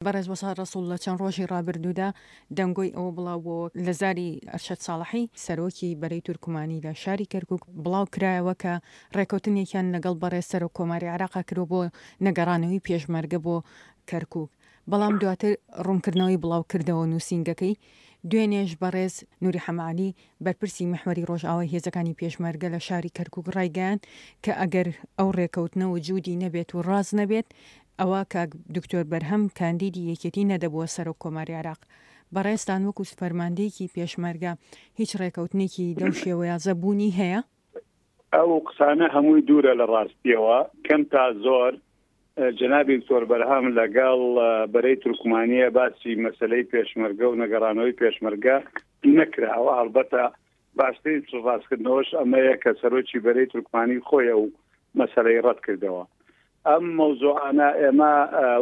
بەڕێز وەسا ڕەسوڵ لە چەند ڕۆژی ڕابردوودا دەنگۆی ئەوە بڵاو بووەوە لە زاری ئەرشەد ساڵحی سەرۆکی بەرەی تورکمانی لە شاری کەرکوک بڵاو کرایەوە کە ڕێکەوتنێکیان لەگەڵ بەڕێز سەرۆک کۆماری عێراقا کردوە بۆ نەگەڕانەوەی پێشمەرگە بۆ کەرکوک بەڵام دواتر ڕوونکردنەوەی بڵاو کردەوە نووسینگەکەی دوێنێش بەڕێز نوری حەمەعەلی بەرپرسی میحوەری ڕۆژئاوای هێزەکانی پێشمەرگە لە شاری کەرکوک ڕایگەیاند کە ئەگەر ئەو ڕێکەوتنە وجودی نەبێت و ڕاست نەبێت ئەوا کاک دکتۆر بەرهەم کاندیدی یەکێتی نەدەبووە سەرۆک کۆماری عێراق. بەڕێزتان وەکو فەرماندەیەکی پێشمەرگە هیچ ڕێکەوتنێکی لەو شێوەیازە بوونی هەیە؟ ئەو قسانە هەمووی دوورە لە ڕاستیەوە، کەم تا زۆر جەنابی دکتۆر بەرهەم لەگەڵ بەرەی تورکمانیە باسی مەسەلەی پێشمەرگە و نەگەڕانەوەی پێشمەرگە نەکراوە، هەڵبەتە باشترین پشتڕاستکردنەوەش ئەمەیە کە سەرۆکی بەرەی تورکمانی خۆی ئەو مەسەلەی ڕەت کردەوە. ئەم مەوزوعانە ئێمە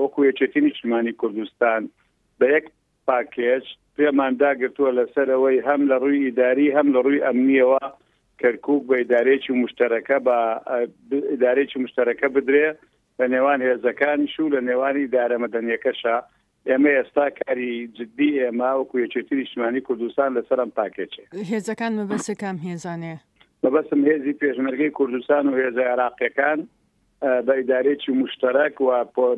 وەکو یەکێتی نیشتمانی کوردستان بە یەک پاکێج پێمان داگرتووە لەسەر ئەوەی هەم لە ڕووی ئیداری هەم لە ڕووی ئەمنیەوە کەرکوک بە ئیدارەیەکی مشتەرەکە بە ئیدارەیەکی مشتەرەکە بدرێ لە نێوان هێزەکانیش و لە نێوان ئیدارە مەدەنیەکەشە ئێمە ئێستا کاری جدی ئێمە وەکو یەکێتی نیشتمانی کوردستان لەسەر ئەم پاکێجەیە. هێزەکان مەبەست کام هێزانەیە؟ مەبەستم هێزی پێشمەرگەی کوردستان و هێزە عێراقیەکان بە ئیدارەیەکی موشتەرەک و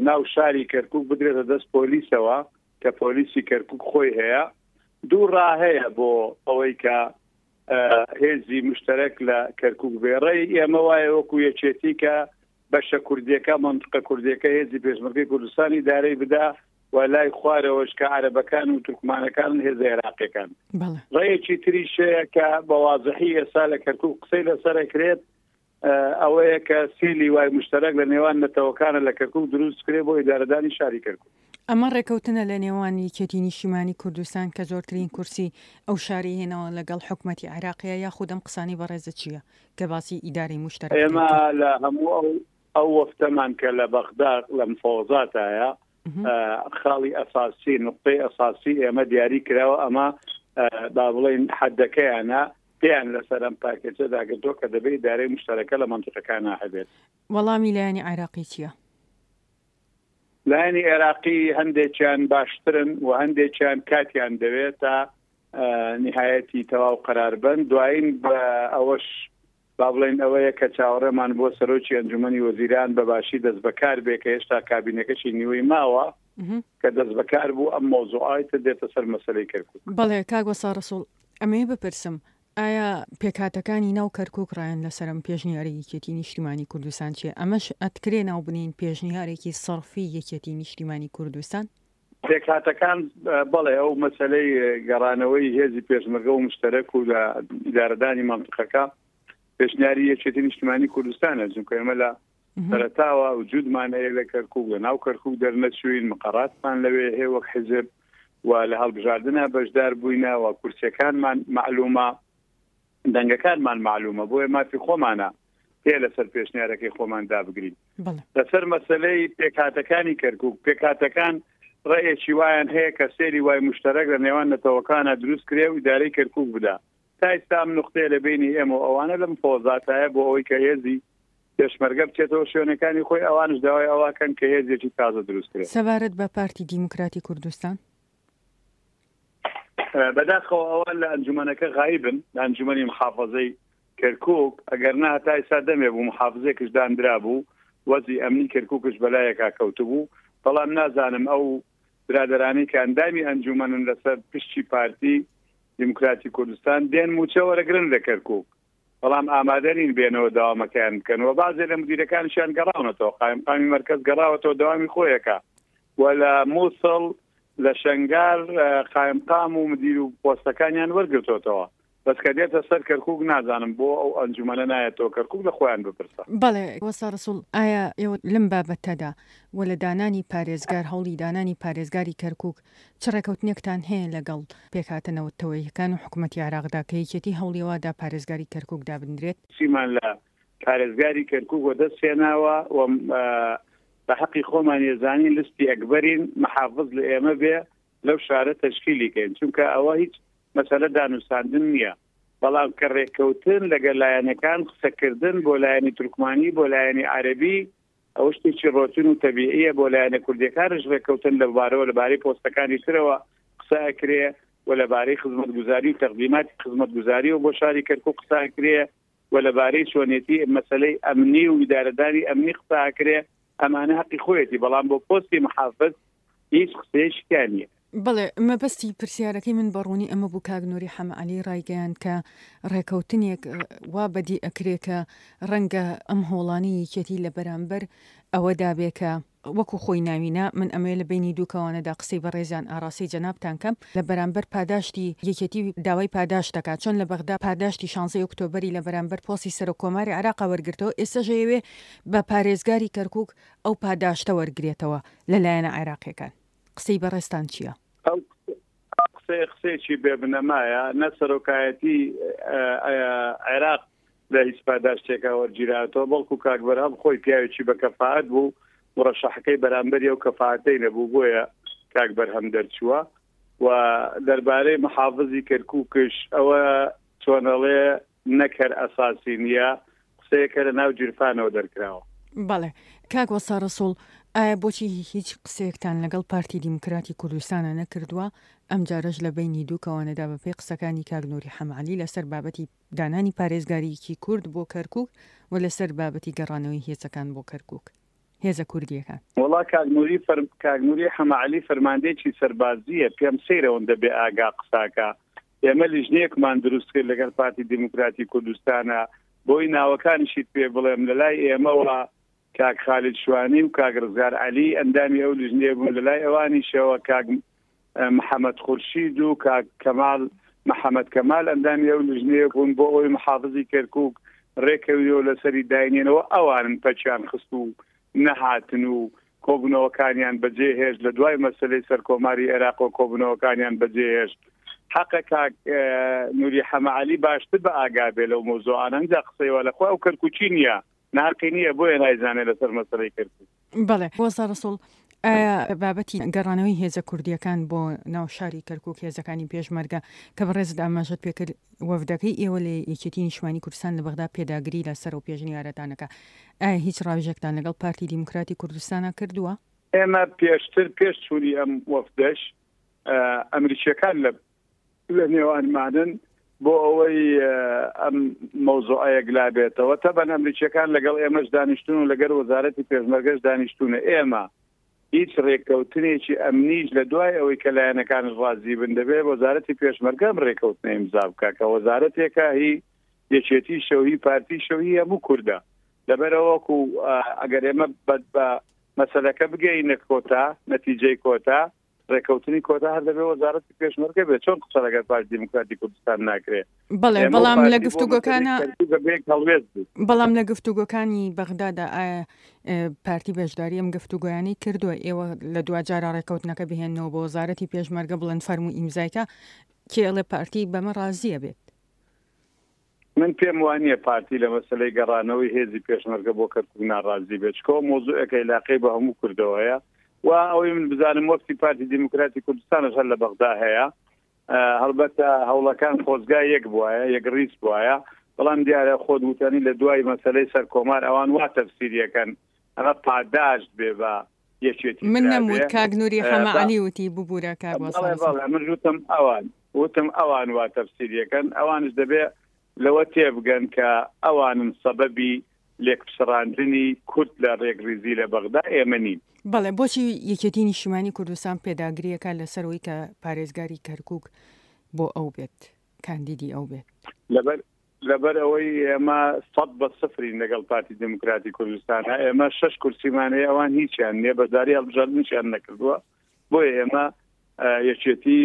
ناو شاری کەرکوک بدرێتە دەست پۆلیسەوە کە پۆلیسی کەرکوک خۆی هەیە. دوو ڕا هەیە بۆ ئەوەی کە هێزی مشتەرەک لە کەرکوک بێ. ڕێی ئێمە وایە وەکو یەکێتی کە بەشە کوردیەکە، مەنتقە کوردیەکە هێزی پێشمەرگەی کوردستان ئیدارەی بدا و لای خوارەوەش کە عەرەبەکان و تورکمانەکانن هێزە عێراقیەکان. ڕێیەکی تریش هەیە کە بە وازحی ئێستا لە کەرکوک قسەی لەسەر ئەکرێت ئەوەیە کە سێ لیوای مشتەرەک لە نێوان نەتەوەکانە لە کەرکوک دروست بکرێت بۆ ئیدارەدانی شاری کەرکوک. ئەمە ڕێکەوتنە لە نێوان یەکێتی نیشتیمانی کوردستان کە زۆرترین کورسی ئەو شارەی هێناوە لەگەڵ حکومەتی عێراقیە یاخود ئەم قسانەی بەڕێزت چیە کە باسی ئیدارەی موشتەرەکتان ئێمە کرد؟ لە هەموو ئەو ئەو وەفتەمان کە لە بەغدا لە مفاوەزاتایە خاڵی ئەساسی نقطەی ئەساسی ئێمە دیاری کراوە ئەمە با بڵێین حەدەکەیانە پێیان لەسەر ئەم پاکێجە داگرتووە کە دەبێ ئیدارەی مشتەرەکە لە مەنتیقەکانا هەبێت. وەڵامی لایەنی عێراقی چییە؟ لایەنی عێراقی هەندێکیان باشترن و هەندێکیان کاتیان دەوێت تا نیهایەتی تەواو قەرار بن. دوایین بە ئەوەش با بڵێین ئەوەیە کە چاوەڕێمان بۆ سەرۆکی ئەنجومەنی وەزیران بە باشی دەستبەکار بێ کە هێشتا کابینەکەشی نیوەی ماوە کە دەستبەکار بوو ئەم مەوزوعەی تر دێتە سەر مەسەلەی کەرکوک. بەڵێ کاک وەستا ڕەسوڵ ئەمەوێ بپرسم ئایا پێکهاتەکانی ناو کەرکوک ڕایان لەسەر ئەم پێشنیارەی یەکێتی نیشتیمانی کوردستان چیە؟ ئەمەش ئەتکرێ ناو بنێین پێشنیارێکی سەرفی یەکێتی نیشتیمانی کوردستان؟ پێکهاتەکان بەڵێ ئەو مەسەلەی گەڕانەوەی هێزی پێشمەرگە و مشتەرەک و لە ئیدارەدانی مەنتقەکە پێشنیاری یەکێتی نیشتیمانی کوردستانە چونکە ئێمە لە سەرەتاوە وجودمان هەیە لە کەرکوک لە ناو کەرکوک دەرنەچوین مقەراتمان لەوێ هەیە وەک حیزب و لە هەڵبژاردنە بەشدار بووینە و کورسیەکانمان مەعلومە دەنگەکانمان مەعلومە بۆیە مافی خۆمانە پێ لەسەر پێشنیارەکەی خۆمان دابگرین لەسەر مەسلەی پێکهاتەکانی کەرکک پێکهاتەکان ڕێیەکی وایان هەیە کە سێری وای مشتەرەک لە نێوان نەتەوەکانە دروست کرێ و ئیدارەی کەرکک بدا تا ئێستا ئەم نقطەیە لە بینی ئێمە و ئەوانە لەم فۆزاتایە بۆ ئەوەی کە هێزی پێشمەرگە بچێتەوە شوێنەکانی خۆی ئەوانش داوای ئەوەکەن کە هێزێکی تازە دروست کرێ. سەبارەت بە پارتی دیموکراتی کوردستان؟ بەداخەوە ئەوان لە ئەنجومەنەکە غایبن لە ئەنجومەنی محافەزەی کەرکوک ئەگەر نا هەتا ئێستا دەمێ بوو محافزێکش داندرابوو وەزی ئەمنی کەرکوکش بەلایەکا کەوتبوو بەڵام نازانم ئەو برادەرانەی کە ئەندامی ئەنجومەنن لەسەر پشتی پارتی دیموکراتی کوردستان دێن موچە وەرەگرن لە کەرکوک بەڵام ئامادە نین بێنەوە دەوامەکەیان بکەن و بەعزێ لە مدیرەکانیشیان گەڕاونەتەوە، قایمقامی مەرکەز گەڕاوەتەوە دەوامی خۆیەکە و لە موسڵ لە شەنگار قایمقام و مدیر و پۆستەکانیان وەرگرتۆتەوە، بەس کە دێتە سەر کەرکوک نازانم بۆ ئەو ئەنجومەنە نایەتەوە کەرکوک لە خۆیان بپرسە. بەڵێ وەستا ڕەسوڵ ئایا ئێوە لەم بابەتەدا و لە دانانی پارێزگار هەوڵی دانانی پارێزگاری کەرکوک چ ڕێکەوتنێکتان هەیە لەگەڵ پێکهاتە نەوتەوەییەکان و حکومەتی عێراقدا کە یەکێتی هەوڵی وا دا پارێزگاری کەرکوک دابنرێت؟ چیمان لە پارێزگاری کەرکوک وەدەست هێناوە و بە حەقی خۆمان یەزانین لستی ئەکبەرین محافز لە ئێمە بێ لەو شارە تەشکیلی کەین چونکە ئەوە هیچ مەسەلە دانوستاندن نییە بەڵام کە ڕێککەوتن لەگەل لایەنەکان قسەکردن بۆ لایەنی تورکمانی بۆ لایەنی عەرەبی. ئەوە شتێکی ڕۆتین و تەبیعیە بۆ لایەنە کوردیەکانش ڕێککەوتن لەبارەوە لەبارەی پۆستەکانی ترەوە قسە ئەکرێ و لەبارەی خزمەتگوزاری و تەقدیماتی خزمەتگوزاریەوە بۆ شاری کەرکوک قسە ئەکرێ و لەبارەی چۆنێتی مەسەلەی ئەمنی و ئیدارەدانی ئەمنی قسە ئەکرێ ئەمانە هەقی خۆیەتی بەڵام بۆ پۆستی محافز هیچ قسەیەکی تیا نییە. بەڵێ، مەبەستی پرسیارەکەی من بە ڕوونی ئەمە بوو کاک نوری حەمە عەلی ڕایگەیاند کە ڕێکەوتنێک وا بەدی ئەکرێ کە ڕەنگە ئەم هەوڵانەی یەکێتی لە بەرامبەر ئەوەدا بێ کە وەکو خۆی ناوی نا، من ئەمەوێ لە بەینی دوو کەوانەدا قسەی بەڕێزیان ئاڕاستەی جەنابتان کەم، لە بەرامبەر پاداشتی یەکێتی داوای پاداشت دەکات، چۆن لە بەغدا پاداشتی شانزەی ئۆکتۆبەری لە بەرامبەر پۆستی سەرۆک کۆماری عێراقا وەرگرتەوە، ئێستەش ئەیەوێ بە پارێزگاری کەرکوک ئەو پاداشتە وەرگرێتەوە لە لایەنە عێراقیەکان. قسەی بەڕێزتان چیە؟ ئەو قسەیە قسەیەکی بێ بنەمایە، نە سەرۆکایەتی عێراق لە هیچ پاداشتێکا وەرگیراتەوە، بەڵکو کاک بەرهەم خۆی پیاوێکی بە کەفائەت بوو، مڕەشەحەکەی بەرامبەری ئەو کەفائەتەی نەبوو، بۆیە کاک بەرهەم دەرچووە. و دەربارەی محافزی کەرکوکش ئەوە چۆنەڵێ نەک هەر ئەساسی نییە، قسەیەکە لە ناو گیرفانەوە دەرکراوە. بەڵێ کاک وەستا ڕەسوڵ، ئایا بۆچی هیچ قسەیەکتان لەگەڵ پارتی دیموکراتی کوردستانا نەکردووە، ئەمجارەش لە بەینی دوو کەوانەدا بەپێی قسەکانی کاک نوری حەمەعەلی لەسەر بابەتی دانانی پارێزگاریی کورد بۆ کەرکوک و لەسەر بابەتی گەڕانەوەی هێزەکان بۆ کەرکوک هێزە کوردییەکان؟ وەڵا کاک نوری فەر کاک نوری حەمەعەلی فەرماندەیەکی سەربازییە پێم سەیرە ئەوەندە بێ ئاگا قساکا ئێمە لیژنەیەکمان دروست کرد لەگەڵ پارتی دیموکراتی کوردستانە بۆی ناوەکانیشیت پێ بڵێم لەلای ئێمەوە کاک خالید شوانی و کاک ڕزگار عەلی ئەندامی ئەو لیژنەیە بوون لەلای ئەوانیشەوە کاک محەمەد خورشید و کاک کەمال محەمەد کەمال ئەندامی ئەو لیژنەیە بوون بۆ ئەوەی محافزی کەرکوک ڕێکەویەوە لەسەری داینێنەوە ئەوانن پەکیان خست و نەهاتن و کۆبوونەوەکانیان بەجێ هێشت لە دوای مەسەلەی سەرکۆماری عێراق و کۆبوونەوەکانیان بەجێ هێشت حەقە کاک نوری حەمە عەلی باشتر بە ئاگا بێ لەو مەوزوعانە ئینجا قسەی وا لە خۆی ئەو کەرکوکی نییە ناقی نییە بۆیە نایزانێ لەسەر مەسەلەی کەرکوک. بەڵێ وەستا ڕەسوڵ ئایا بابەتی گەڕانەوەی هێزە کوردییەکان بۆ ناو شاری کەرکوک هێزەکانی پێشمەرگە کە بەڕێزت ئاماژەت پێکرد وەفدەکەی ئێوە لە یەکێتی نیشتمانی کوردستان لە بەغدا پێداگری لەسەر ئەو پێشنیارەتان ئەکا ئایا هیچ ڕاوێژێکتان لەگەڵ پارتی دیموکراتی کوردستانا کردووە؟ ئێمە پێشتر پێش چوونی ئەم وەفدەش ئەمریکییەکان لە لە نێوانمانن بۆ ئەوەی ئەم مەوزوعە یەکلا بێتەوە تەبەن ئەمریکیەکان لەگەڵ ئێمەش دانیشتون و لەگەر وەزارەتی پێشمەرگەش دانیشتونە ئێمە هیچ رێککەوتنێکی ئەمنیش لە دوای ئەوەی کە لایەنەکانش ڕازی بن دەبێ وەزارەتی پێشمەرگە ئەم رێککەوتنە ئیمزا بکا کە وەزارەتێکە هی یەکێتی شەو هی پارتی شەو هی هەموو کوردە لەبەرئەوە وەکو ئەگەر ئێمە بە مەسەلەکە بگەینە کۆتا نەتیجەی کۆتا ڕێکەوتنی کۆتا هەر دەبێ وەزارەتی پێشمەرگە بێت چۆن قسە لەگەر پارتی دیموکراتی کوردستان ناکرێ بەڵێ بەڵام لە گفتوگۆکانە بەڵام لە گفتوگۆکانی بەغدادا ئایا پارتی بەشداری ئەم گفتوگۆیانەی کردووە ئێوە لە دواجارە ڕێکەوتنەکە بهێنەوە بۆ وەزارەتی پێشمەرگە بڵێن فەرموو ئیمزایکە کێ ئەڵێ پارتی بەمە ڕازیە بێت من پێم وانییە پارتی لە مەسەلەی گەڕانەوەی هێزی پێشمەرگە بۆ کەرکوک ناڕازی بێت، چونکە ئەوە مەوزوعێکە ئیلاقەی بە هەموو کوردەوە هەیە و ئەوەی من بزانم وەفدی پارتی دیموکراتی کوردستانش هەر لە بەغدا هەیە. هەڵبەتە هەوڵەکان خۆزگا یەک بوایە، یەکڕیز بوایە، بەڵام دیارە خۆت وتەنی لە دوای مەسەلەی سەرکۆمار ئەوان وا تەفسیریەکەن ئەمە پاداشت بێ بە یەکێتی من نەموت کاک نوری حەمە عەلی وتی ببورە کاک وەستا بەڵێ من وتم ئەوان وتم ئەوان وا تەفسیریەکەن ئەوانش دەبێ لەوە تێبگەن کە ئەوانن سەبەبی لێکپچڕاندنی کورد لە ڕێکڕیزی لە بەغدا ئێمە نین. بەڵێ بۆچی یەکێتی نیشتیمانی کوردستان پێداگریەکە لەسەر ئەوەی کە پارێزگاری کەرکوک بۆ ئەو بێت کاندیدی ئەو بێت؟ لەبەر لەبەر ئەوەی ئێمە سەد بە سفرین لەگەڵ پارتی دیموکراتی کوردستان ئێمە شەش کورسیمان هەیە ئەوان هیچیان نییە بەشداری هەڵبژاردنیشیان نەکردووە بۆیە ئێمە یەکێتی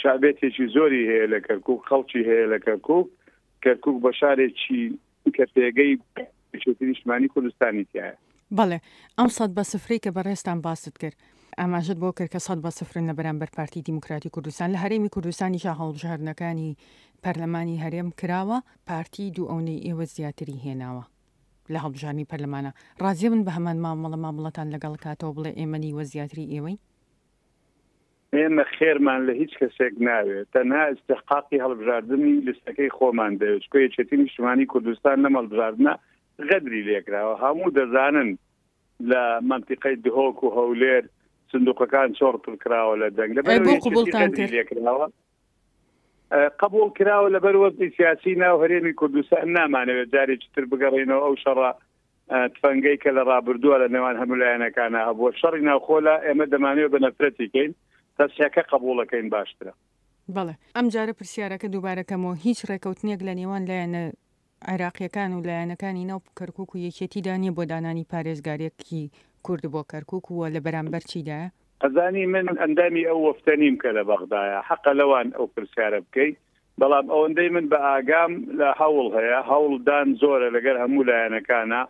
شابێتێکی زۆری هەیە لە کەرکک خەڵکی هەیە لە کەرکک کەرکک بە شارێکی کە پێگەی یەکێتی نیشتمانی کوردستانی تایە. بەڵێ ئەم سەد بە سفرەی کە بەڕێزتان باست کرد ئاماژەت بۆ کرد کە سەد بە سفرن لە بەرامبەر پارتی دیموکراتی کوردستان لە هەرێمی کوردستانیشا هەڵبژاردنەکانی پەرلەمانی هەرێم کراوە پارتی دوو ئەونەی ئێوە زیاتری هێناوە لە هەڵبژاردنی پەرلەمانە ڕازیە بن بە هەمان مامەڵە مامەڵەتان لەگەڵ کاتەوە بڵێ ئێمە نیوە زیاتری ئێوەین؟ ئێمە خێرمان لە هیچ کەسێک ناوێت، تەنها ئیستحقاقی هەڵبژاردنی لیستەکەی خۆمان دەوێت، چونکە یەکێتی نیشتمانی کوردستان لەم هەڵبژاردنە غەدری لێکراوە، هەموو دەزانن. لە مەنتیقەی دهۆک و هەولێر سندوقەکان چۆڕ پڕ کراوە لە دەنگ لەبەر بۆ قبوڵتان کرد لێکراوە قبوڵ کراوە لەبەر وەزعی سیاسی ناو هەرێمی کوردستان نامانەوێت جارێکی تر بگەڕێینەوە ئەو شەڕە تفەنگەی کە لە ڕابردووە لە نێوان هەموو لایەنەکانە هەبووە شەڕی ناوخۆ لە ئێمە دەمانەوێت بە نەفرەتی کەین تەسحەکە قبوڵەکەین باشترە. بەڵێ ئەمجارە پرسیارەکە دووبارە کەمەوە هیچ ڕێکەوتنێک لە نێوان لایەنە عێراقیەکان و لایەنەکانی ناو کەرکوک و یەکێتیدا نیە بۆ دانانی پارێزگارێکی کورد بۆ کەرکوک و لە بەرامبەر چیدایە؟ ئەزانی من ئەندامی ئەو وەفتە نیم کە لە بەغدایە، حەقە لەوان ئەو پرسیارە بکەی، بەڵام ئەوەندەی من بە ئاگام لە هەوڵ هەیە، هەوڵ دان زۆرە لەگەر هەموو لایەنەکانا،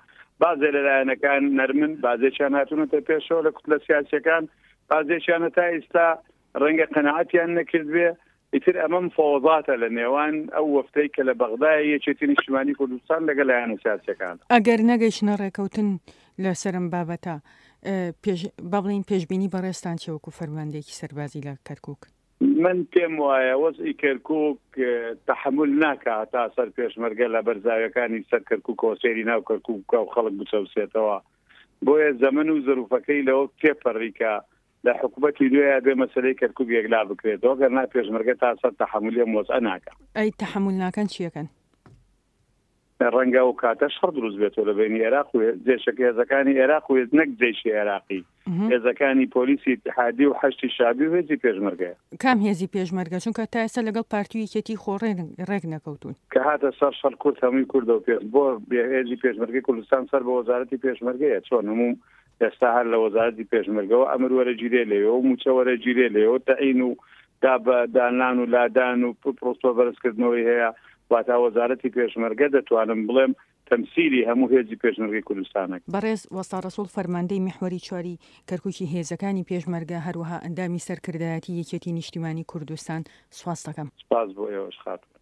بازێ لە لایەنەکان نەرمن، بازێکیان هاتوونەتە پێشەوە لە کوتلە سیاسیەکان، بازێکیان هەتا ئیستا ڕەنگە قەناعەتیان نەکردبێ، ئیتر ئەمە مفاوەزاتە لە نێوان ئەو وەفدەی کە لە بەغدایە یەکێتی نیشتیمانی کوردستان لەگەڵ لایەنە سیاسیەکان. ئەگەر نەگەیشتنە ڕێکەوتن لەسەر ئەم بابەتە پێش با بڵێین پێشبینی بەڕێزتان چیە وەکو فەرماندەیەکی سەربازی لە کەرکوک؟ من پێم وایە وەزعی کەرکوک تەحەمول ناکا هەتا سەر پێشمەرگە لە بەرزاویەکانی سەر کەرکوکەوە سەیری ناو کەرکوک بکا و خەڵک بچەوسێتەوە بۆیە زەمەن و زروفەکەی لەوە تێپەڕی کە لە حکومەتی نوێیا بێ مەسەلەی کەرکوک یەکلا بکرێتەوە گەر نا پێشمەرگە تا سەر تەحەمولی ئەم وەزعە ناکا. ئەی تەحەمول ناکەن چیەکەن؟ ڕەنگە ئەو کاتە شەڕ دروست بێتەوە لە بەینی ئێراق و جێشەکە هێزەکانی ئێراق و نەک جەیشی ئێراقی هێزەکانی پۆلیسی ئیتحادی و حەشدی شەعبی و هێزی پێشمەرگەیە. کام هێزی پێشمەرگە؟ چونکە تا ئێستا لەگەڵ پارتی و یەکێتی خۆ ڕێک نەکەوتوون. کە هاتە سەر شەڕ کورد هەمووی کوردە و پێش بۆ هێزی پێشمەرگەی کوردستان سەر بە وەزارەتی پێشمەرگەیە چۆن هەموو ئێستا هەر لە وەزارەتی پێشمەرگەوە ئەمر وەرەگیرێ لەوێ و مووچە وەرەگیرێ لەوێ و تەعین و دا بە دانان و لادان و پرۆستۆ بەرزکردنەوەی هەیە واتا وەزارەتی پێشمەرگە دەتوانم بڵێم تەمسیلی هەموو هێزی پێشمەرگەی کوردستانە. بەڕێز وەستا ڕەسوڵ فەرماندەی میحوەری چواری کەرکوکی هێزەکانی پێشمەرگە هەروەها ئەندامی سەرکردایەتی یەکێتی نیشتیمانی کوردستان سوپاستەکەم. سپاس بۆ ئێوەش خاتوون.